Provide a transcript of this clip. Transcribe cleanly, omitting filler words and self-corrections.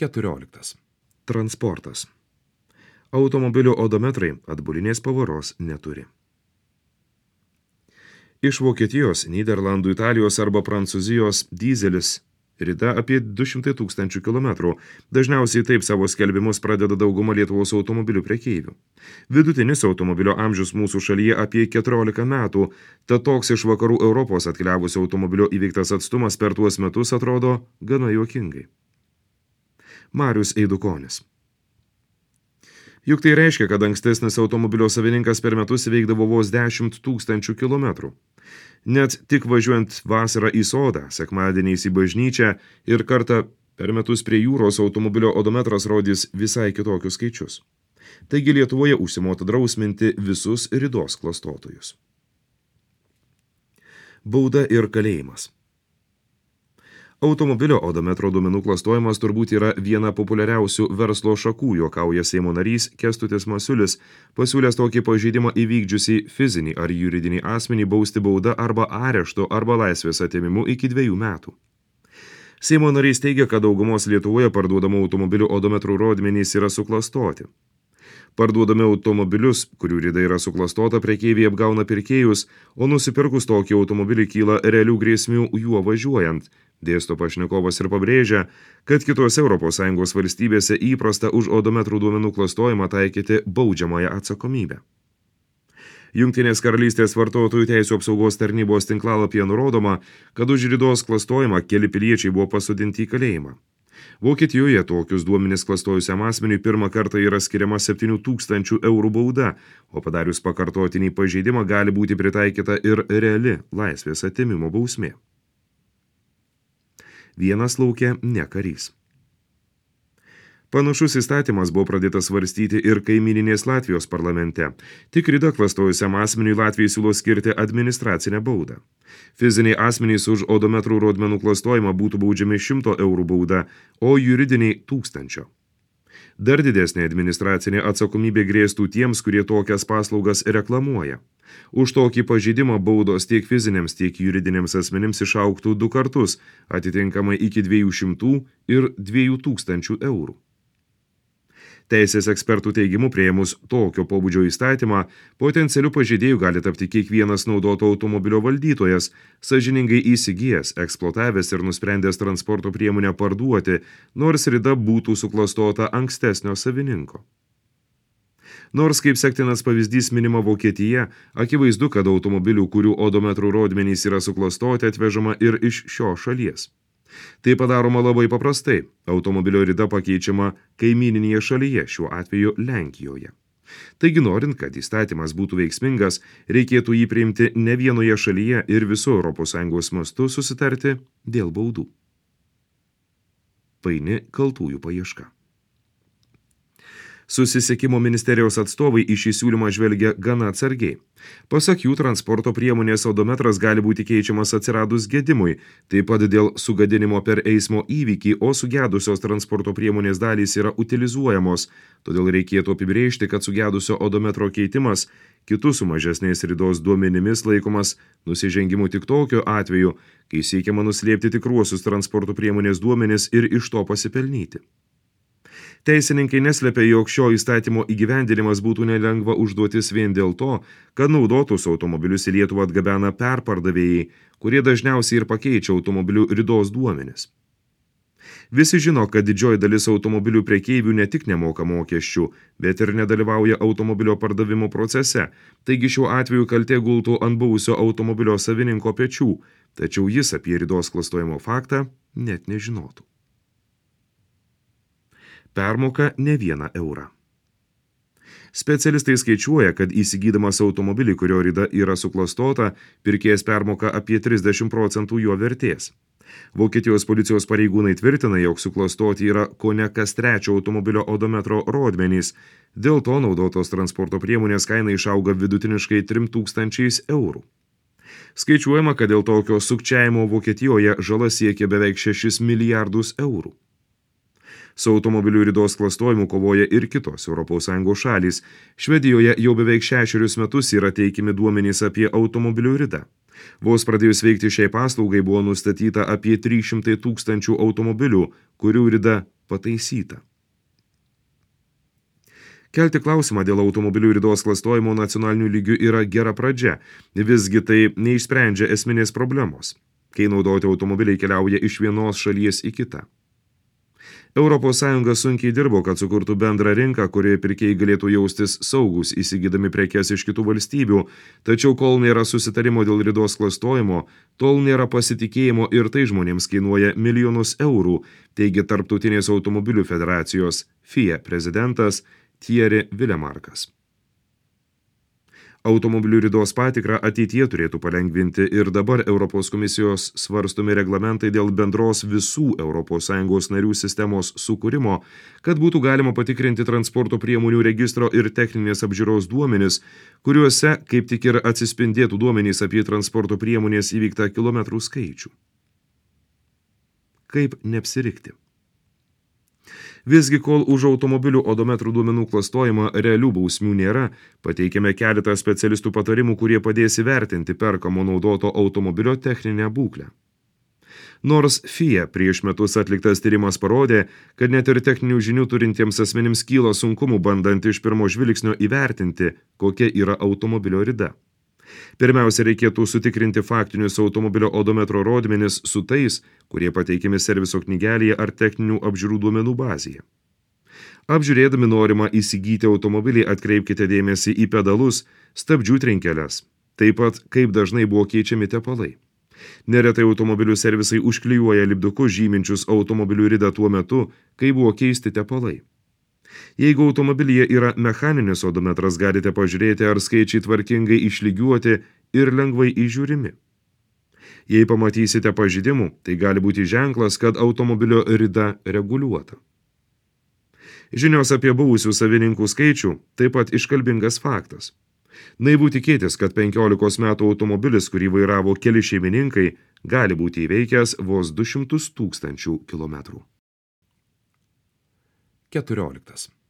14. Transportas. Automobilio odometrai atbulinės pavaros neturi. Iš Vokietijos, Nyderlandų, Italijos arba Prancūzijos dyzelis rida apie 200 000 kilometrų. Dažniausiai taip savo skelbimus pradeda dauguma Lietuvos automobilių prekeivių. Vidutinis automobilio amžius mūsų šalyje apie 14 metų, tad toks iš vakarų Europos atkeliavusio automobilio įveiktas atstumas per tuos metus atrodo gana juokingai. Marius Eidukonis. Juk tai reiškia, kad ankstesnis automobilio savininkas per metus įveikdavo vos 10 000 kilometrų. Net tik važiuojant vasarą į sodą, sekmadieniais į bažnyčią ir kartą per metus prie jūros automobilio odometras rodys visai kitokius skaičius. Taigi Lietuvoje užsimota drausminti visus ridos klastotojus. Bauda ir kalėjimas. Automobilio odometro duomenų klastojimas turbūt yra viena populiariausių verslo šakų, juokauja Seimo narys Kęstutis Masiulis, pasiūlęs tokį pažeidimą įvykdžiusį fizinį ar juridinį asmenį bausti bauda arba areštu arba laisvės atėmimu iki 2 metų. Seimo narys teigia, kad daugumos Lietuvoje parduodamų automobilių odometrų rodmenys yra suklastoti. Parduodami automobilius, kurių rida yra suklastota, prekeiviai apgauna pirkėjus, o nusipirkus tokį automobilį kyla realių grėsmių juo važiuojant, dėsto pašnekovas ir pabrėžia, kad kitose ES valstybėse įprasta už odometrų duomenų klastojimą taikyti baudžiamąją atsakomybę. Jungtinės karalystės vartotojų teisių apsaugos tarnybos tinklalapyje nurodoma, kad už ridos klastojimą keli piliečiai buvo pasodinti į kalėjimą. Vokietijoje tokius duomenis klastojusiam asmeniui pirmą kartą yra skiriama 7 000 eurų bauda, o padarius pakartotinį pažeidimą gali būti pritaikyta ir reali laisvės atėmimo bausmė. Vienas lauke ne karys. Panašus įstatymas buvo pradėtas svarstyti ir kaimyninės Latvijos parlamente. Tik ridą klastojusiam asmeniui Latvijai siūlo skirti administracinę baudą. Fiziniai asmenys už odometrų rodmenų klastojimą būtų baudžiami 100 eurų bauda, o juridiniai 1000. Dar didesnė administracinė atsakomybė grėstų tiems, kurie tokias paslaugas reklamuoja. Už tokį pažeidimą baudos tiek fiziniams, tiek juridiniams asmenims išaugtų 2 kartus, atitinkamai iki 200 ir 2000 eurų. Teisės ekspertų teigimu priėmus tokio pobūdžio įstatymą, potencialiu pažeidėju gali tapti kiekvienas naudoto automobilio valdytojas, sąžiningai įsigijęs, eksploatavęs ir nusprendęs transporto priemonę parduoti, nors rida būtų suklastota ankstesnio savininko. Nors kaip sektinas pavyzdys minima Vokietija, akivaizdu, kad automobilių, kurių odometrų rodmenys yra suklastoti, atvežama ir iš šios šalies. Tai padaroma labai paprastai. Automobilio rida pakeičiama kaimyninėje šalyje, šiuo atveju Lenkijoje. Taigi norint, kad įstatymas būtų veiksmingas, reikėtų jį priimti ne vienoje šalyje ir viso ES mastu susitarti dėl baudų. Paini kaltųjų paieška. Susisiekimo ministerijos atstovai į šį siūlymą žvelgia gana atsargiai. Pasak jų, transporto priemonės odometras gali būti keičiamas atsiradus gedimui, taip pat dėl sugadinimo per eismo įvykį, o sugedusios transporto priemonės dalys yra utilizuojamos, todėl reikėtų apibrėžti, kad sugedusio odometro keitimas kitų su mažesnės ridos duomenimis laikomas nusižengimu tik tokiu atveju, kai siekiama nuslėpti tikruosius transporto priemonės duomenis ir iš to pasipelnyti. Teisininkai neslepia, jog šio įstatymo įgyvendinimas būtų nelengva užduotis vien dėl to, kad naudotus automobilius į Lietuvą atgabena perpardavėjai, kurie dažniausiai ir pakeičia automobilių ridos duomenis. Visi žino, kad didžioji dalis automobilių prekeivių ne tik nemoka mokesčių, bet ir nedalyvauja automobilio pardavimo procese, taigi šiuo atveju kaltė gultų ant buvusio automobilio savininko pečių, tačiau jis apie ridos klastojimo faktą net nežinotų. Permoka ne 1 eurą. Specialistai skaičiuoja, kad įsigydamas automobilį, kurio rida yra suklastota, pirkėjas permoka apie 30% jo vertės. Vokietijos policijos pareigūnai tvirtina, jog suklastoti yra kone kas 3 automobilio odometro rodmenys. Dėl to naudotos transporto priemonės kaina išauga vidutiniškai 3000 eurų. Skaičiuojama, kad dėl tokio sukčiavimo Vokietijoje žala siekia beveik 6 milijardus eurų. Su automobilių ridos klastojimu kovoja ir kitos ES šalys. Švedijoje jau beveik 6 metus yra teikiami duomenys apie automobilių ridą. Vos pradėjus veikti šiai paslaugai buvo nustatyta apie 300 000 automobilių, kurių rida pataisyta. Kelti klausimą dėl automobilių ridos klastojimo nacionaliniu lygiu yra gera pradžia, visgi tai neišsprendžia esminės problemos, kai naudoti automobiliai keliauja iš vienos šalies į kitą. ES sunkiai dirbo, kad sukurtų bendrą rinką, kurioje pirkėjai galėtų jaustis saugus įsigydami prekes iš kitų valstybių, tačiau kol nėra susitarimo dėl ridos klastojimo, tol nėra pasitikėjimo ir tai žmonėms kainuoja milijonus eurų, teigia Tarptautinės automobilių federacijos FIA prezidentas Thierry Villemarkas. Automobilių ridos patikrą ateityje turėtų palengvinti ir dabar Europos komisijos svarstomi reglamentai dėl bendros visų ES narių sistemos sukūrimo, kad būtų galima patikrinti transporto priemonių registro ir techninės apžiūros duomenis, kuriuose kaip tik ir atsispindėtų duomenys apie transporto priemonės įvyktą kilometrų skaičių. Kaip neapsirikti? Visgi, kol už automobilių odometrų duomenų klastojimą realių bausmių nėra, pateikėme keletą specialistų patarimų, kurie padės įvertinti perkamo naudoto automobilio techninę būklę. Nors FIA prieš metus atliktas tyrimas parodė, kad net ir techninių žinių turintiems asmenims kyla sunkumų bandant iš pirmo žvilgsnio įvertinti, kokia yra automobilio rida. Pirmiausia, reikėtų sutikrinti faktinius automobilio odometro rodmenis su tais, kurie pateikiami serviso knygelėje ar techninių apžiūrų duomenų bazėje. Apžiūrėdami norimą įsigyti automobilį atkreipkite dėmesį į pedalus, stabdžių trinkeles, taip pat kaip dažnai buvo keičiami tepalai. Neretai automobilių servisai užklijuoja lipdukus žyminčius automobilių ridą tuo metu, kai buvo keisti tepalai. Jeigu automobilyje yra mechaninis odometras, galite pažiūrėti, ar skaičiai tvarkingai išlygiuoti ir lengvai įžiūrimi. Jei pamatysite pažeidimų, tai gali būti ženklas, kad automobilio rida reguliuota. Žinios apie buvusių savininkų skaičių taip pat iškalbingas faktas. Naivu tikėtis, kad 15 metų automobilis, kurį vairavo keli šeimininkai, gali būti įveikęs vos 200 000 kilometrų. 14.